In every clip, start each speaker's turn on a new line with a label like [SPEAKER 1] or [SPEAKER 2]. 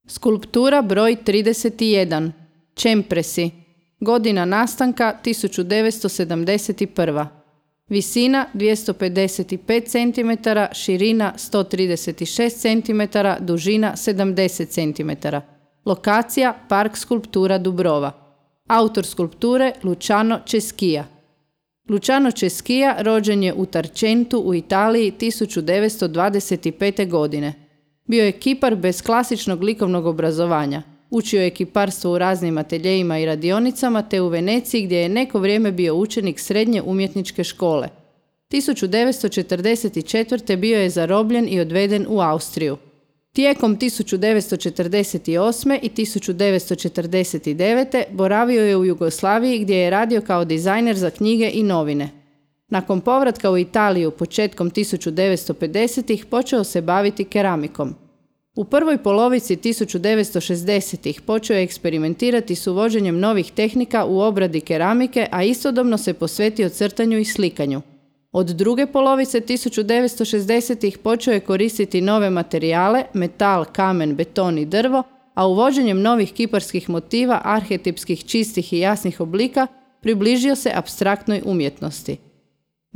[SPEAKER 1] Skulptura broj 31. Čempresi. Godina nastanka 1971. Visina 255 cm, širina 136 cm, dužina 70 cm. Lokacija Park skulptura Dubrova. Autor skulpture Luciano Ceschia. Luciano Ceschia rođen je u Tarcentu u Italiji 1925. godine. Bio je kipar bez klasičnog likovnog obrazovanja. Učio je kiparstvo u raznim ateljejima i radionicama te u Veneciji gdje je neko vrijeme bio učenik srednje umjetničke škole. 1944. bio je zarobljen i odveden u Austriju. Tijekom 1948. i 1949. boravio je u Jugoslaviji gdje je radio kao dizajner za knjige i novine. Nakon povratka u Italiju početkom 1950-ih počeo se baviti keramikom. U prvoj polovici 1960-ih počeo je eksperimentirati s uvođenjem novih tehnika u obradi keramike, a istodobno se posvetio crtanju i slikanju. Od druge polovice 1960-ih počeo je koristiti nove materijale, metal, kamen, beton i drvo, a uvođenjem novih kiparskih motiva, arhetipskih, čistih i jasnih oblika, približio se apstraktnoj umjetnosti.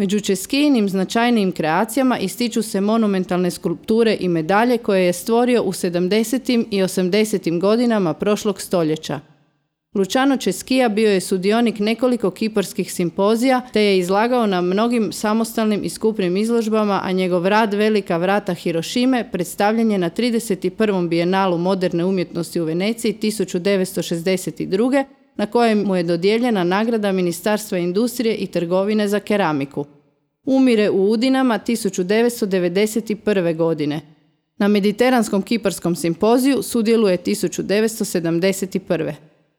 [SPEAKER 1] Među Ceschijim značajnijim kreacijama ističu se monumentalne skulpture i medalje koje je stvorio u 70. i 80. godinama prošlog stoljeća. Luciano Ceschia bio je sudionik nekoliko kiparskih simpozija te je izlagao na mnogim samostalnim i skupnim izložbama, a njegov rad Velika vrata Hirošime predstavljen je na 31. bijenalu moderne umjetnosti u Veneciji 1962. na kojem mu je dodijeljena nagrada Ministarstva industrije i trgovine za keramiku. Umire u Udinama 1991. godine. Na Mediteranskom kiparskom simpoziju sudjeluje 1971.